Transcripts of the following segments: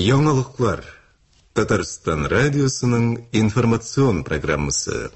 Яңалыклар. Татарстан радиосының информацион программасы.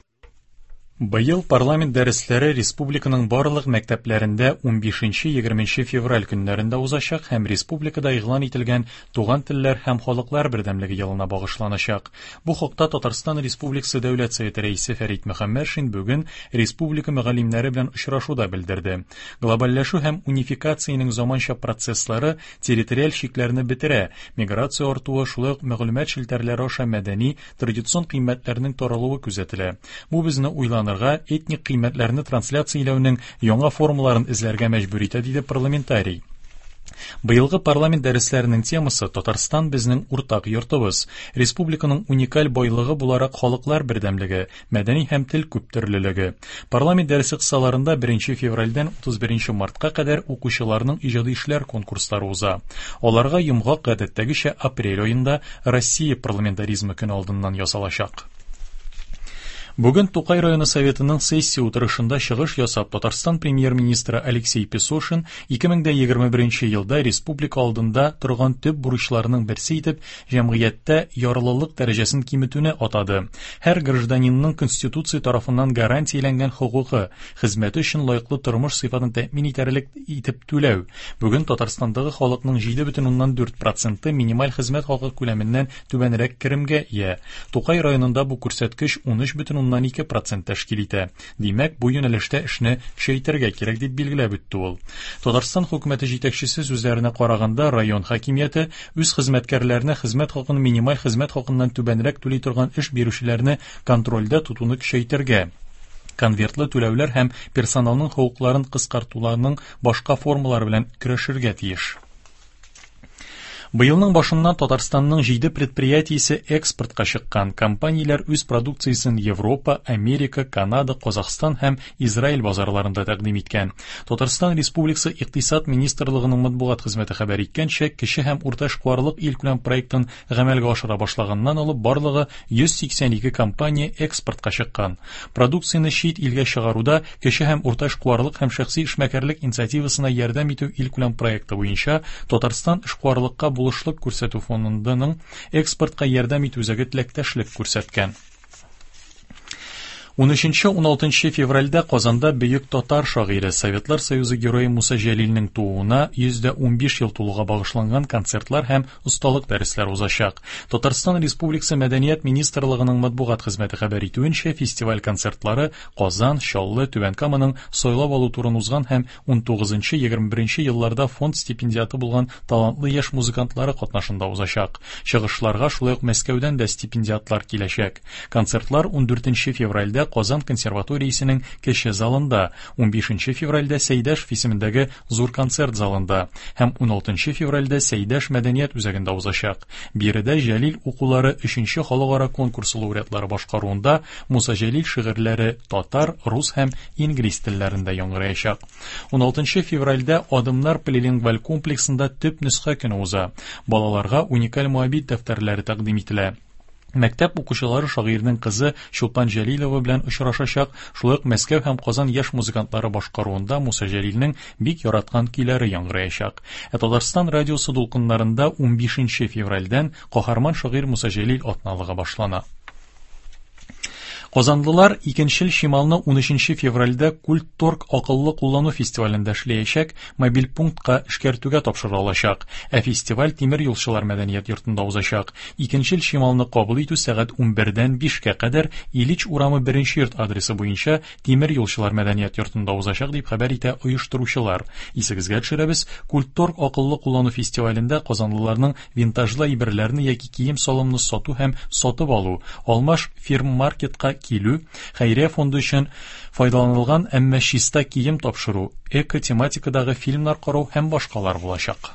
Быел парламент дәресләре республиканың барлык мәктәпләрендә 15-20 февраль көннәрендә узачак һәм республикада игълан ителгән Туган телләр һәм халыклар бердәмлеге елына багышланачак. Бу хакта Татарстан Республикасы Дәүләт Советы рәисе Фәрит Мөхәммәтшин бүген республика мөгаллимнәре белән очрашуда белдерде. Глобальләшү һәм унификациянең заманча процесслары территориаль чикләрне бетерә, миграция артуы, шулай ук мәгълүмат челтәрләре аша мәдәни, традицион кыйммәтләрнең таралуы күзәтелә. Бу безне уйланырга, этник кыйммәтләрне трансляцияләүнең яңа формаларын эзләргә мәҗбүр итә, диде парламентарий. Быелгы парламент дәресләренең темасы Татарстан безнең уртак йортыбыз. Республиканың уникаль байлыгы буларак халыклар бердәмлеге, мәдәни һәм тел күптөрлелеге. Парламент дәресе кысаларында 1 февральдән 31 мартка кадәр укучыларның иҗади эшләр конкурслары уза. Аларга йомгак гадәттәгечә апрель аенда Россия парламентаризмы көне алдыннан ясалачак. Бүген Тукай районы Советының сессия утырышында чыгыш ясап, Татарстан премьер-министры Алексей Песошин 2021 елда республика алдында торган төп бурычларның берсе итеп җәмгыятьтә ярлылык дәрәҗәсен киметүне атады. Һәр гражданинның Конституция тарафыннан гарантияләнгән хокукы, хезмәте өчен лаеклы тормыш сыйфатын тәэмин итәрлек итеп түләү. Бүген Татарстандагы халыкның 7,4 проценты минималь хезмәт хакы күләменнән түбәнрәк керемгә ия. Тукай районында бу күрсәткеч 13,2 процент тәшкил итә. Димәк, бу юнәлештә эшне көчәйтергә кирәк, дип билгеләп үтте ул. Татарстан хөкүмәте җитәкчесе сүзләренә караганда, район хакимияте үз хезмәткәрләренә хезмәт хакын минималь хезмәт хакыннан түбәнрәк түли торган эш бирүчеләрне контрольдә тотуны көчәйтергә, конвертлы түләүләр һәм персоналның хокукларын кыскартуларның башка формалары белән көрәшергә тиеш. Быелның башыннан Татарстанның 7 предприятиесе экспортка чыккан. Компанияләр үз продукциясен Европа, Америка, Канада, Казахстан һәм Израиль базарларында тәкъдим иткән. Татарстан Республикасы Икътисад министрлыгының матбугат хезмәте хәбәр иткәнчә, кече һәм урта эшкуарлык илкүләм проектын гамәлгә ашыра башлаганнан алып барлыгы 182 компания экспортка чыккан. Продукцияне чит илгә чыгаруда кече һәм урта эшкуарлык һәм шәхси эшмәкәрлек инициативасына ярдәм итү илкүләм проекты буенча Татарстан эшкуарлыкка булышлык күрсәтү фондының экспортка ярдәм итү үзәге теләктәшлек күрсәткән. 13-16 февральдә Казанда бөек татар шагыйре, Советлар Союзы герое Муса Җәлилнең тууына 115 ел тулуга багышланган концертлар һәм осталык дәресләре узачак. Татарстан Республикасы Мәдәният министрлыгының матбугат хезмәте хәбәр итүенчә, фестиваль концертлары Казан, Чаллы, Түбән Каманың сайлап алу турын узган һәм 19-21 елларда фонд стипендиаты булган талантлы яшь музыкантлары катнашында узачак. Чыгышларга шулай ук Мәскәүдән дә стипендиатлар киләчәк. Концертлар 14 февральдә Казан консерваториясенең кече залында, 15 февральдә Сәйдәшев исемендәге зур концерт залында һәм 16 февральдә Сәйдәш мәдәният үзәгендә узачак. Биредә Җәлил укулары 3 халыкара конкурсы лауреатлары башкаруында Муса Җәлил шигырьләре татар, рус һәм инглиз телләрендә яңгыраячак. 16 февральдә Адымнар полилингваль комплексында төп нөсхә көне уза. Балаларга уникаль Моабит дәфтәрләре тәкъдим ителә. Мәктәп укучылары шагыйрьнең кызы Чулпан Җәлилова белән очрашачак, шулай ук Мәскәү һәм Казан яшь музыкантлары башкаруында Муса Җәлилнең бик яраткан көйләре яңгыраячак. Ә Татарстан радиосы дулкыннарында 15 февральдән каһарман шагыйрь Муса Җәлил атналыгы башлана. Казанлылар икенчел чималны 13 февральдә Культторг акыллы куллану фестивалендә эшләячәк мобиль пунктка эшкәртүгә тапшыра алачак. Ә фестиваль Тимер юлчылар мәдәният йортында узачак. Икенчел чималны кабул итү сәгать 11-дән 5-кә кадәр Ильич урамы 1 йорт адресы буенча Тимер юлчылар мәдәният йортында узачак, дип хәбәр итә оештыручылар. Исегезгә төшерәбез, Культторг акыллы куллану фестивалендә казанлыларның винтажлы әйберләрне яки кием-салымны сату һәм сатып алу, алмаш фирм-маркетка килү, хәйрия фонды өчен файдаланылган, әмма чиста кием тапшыру, эко-тематикадагы фильмнар карау һәм башкалар булачак.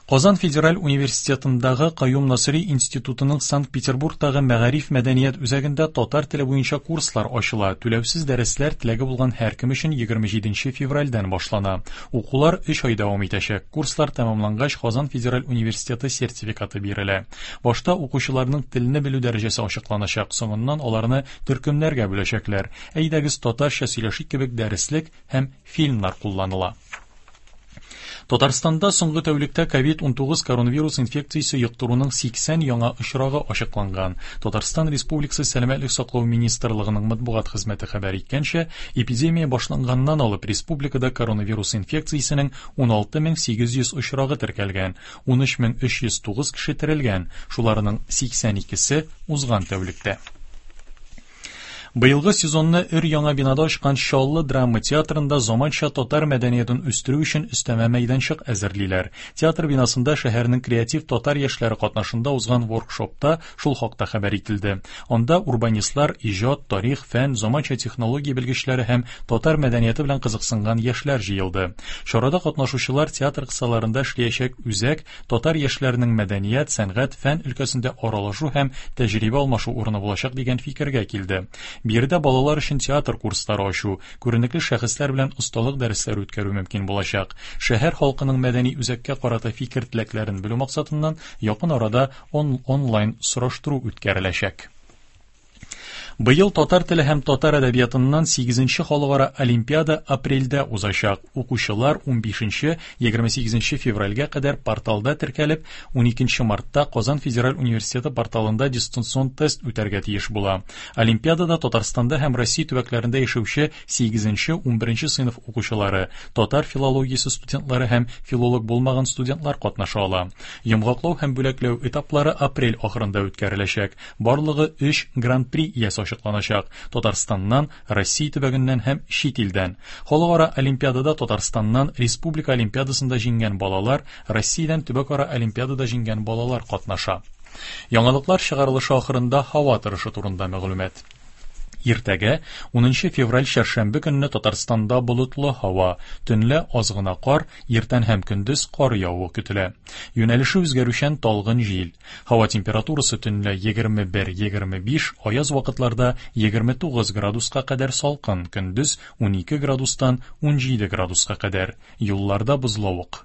Казан федераль университетындагы Каюм Насыйри институтының Санкт-Петербургтагы Мәгариф мәдәният үзәгендә татар теле буенча курслар ачыла. Түләүсез дәресләр теләге булган һәркем өчен 27 февральдән башлана. Укулар 3 ай дәвам итәчәк. Курслар тәмамлангач, Казан федераль университеты сертификаты бирелә. Башта укучыларның телне белү дәрәҗәсе ачыкланачак, соңыннан аларны төркемнәргә бүләчәкләр. Әйдәгез татарча сөйләшик кебек дәреслек һәм фильмнар кулланыла. Татарстанда соңгы тәүлектә COVID-19 коронавирус инфекциясе йоктыруның 80 яңа очрагы ачыкланган. Татарстан Республикасы Сәламәтлек саклау министрлыгының матбугат хезмәте хәбәр иткәнчә, эпидемия башланганнан алып республикада коронавирус инфекциясенең 16800 очрагы теркәлгән, 13309 кеше терелгән, шуларның 82-се узган тәүлектә. Быелгы сезонны өр-яңа бинада ачкан Чаллы драма театрында заманча татар мәдәниятен үстерү өчен өстәмә мәйданчык әзерлиләр. Театр бинасында шәһәрнең креатив татар яшьләре катнашында узган воркшопта шул хакта хәбәр ителде. Анда урбанистлар, иҗат, тарих, фән, заманча технология белгечләре һәм татар мәдәнияте белән кызыксынган яшьләр җыелды. Чарада катнашучылар театр кысаларында эшләячәк үзәк татар яшьләренең мәдәният, сәнгать, фән өлкәсендә аралашу һәм тәҗрибә алмашу урыны булачак дигән фикергә килде. Биредә балалар өчен театр курслары ачу, күренекле шәхесләр белән осталык дәресләре үткәрү мөмкин булачак. Шәһәр халкының мәдәни үзәккә карата фикер-теләкләрен белү максатыннан якын арада онлайн сораштыру үткәреләчәк. Быел татар теле һәм татар әдәбиятыннан 8-нче халыкара олимпиада апрельдә узачак. Укучылар 15-28 февральгә кадәр порталда теркәлеп, 12 мартта Казан федераль университеты порталында дистанцион тест үтәргә тиеш була. Олимпиадада Татарстанда һәм Россия төбәкләрендә яшәүче 8-11 сыйныф укучылары, татар филологиясе студентлары һәм филолог булмаган студентлар катнаша ала. Йомгаклау һәм бүләкләү этаплары апрель ахырында үткәреләчәк. Барлыгы 3 гран-при иясе ачыкланачак. Татарстаннан, Россия төбәгеннән һәм чит илдән. Халыкара олимпиадада Татарстаннан республика олимпиадасында җиңгән балалар, Россиядән төбәкара олимпиадада җиңгән балалар катнаша. Яңалыклар чыгарылышы ахырында һава торышы турында мәгълүмат. Иртәгә 10 февраль чәршәмбе көнне Татарстанда болытлы һава, төнлә аз гына кар, иртән һәм көндез кар явуы көтелә. Юнәлеше үзгәрүчән талгын җил. Һава температурасы төнлә 21-25, аяз вакытларда 29 градуска кадәр салкын, көндез 12 градустан 17 градуска кадәр. Юлларда бозлавык.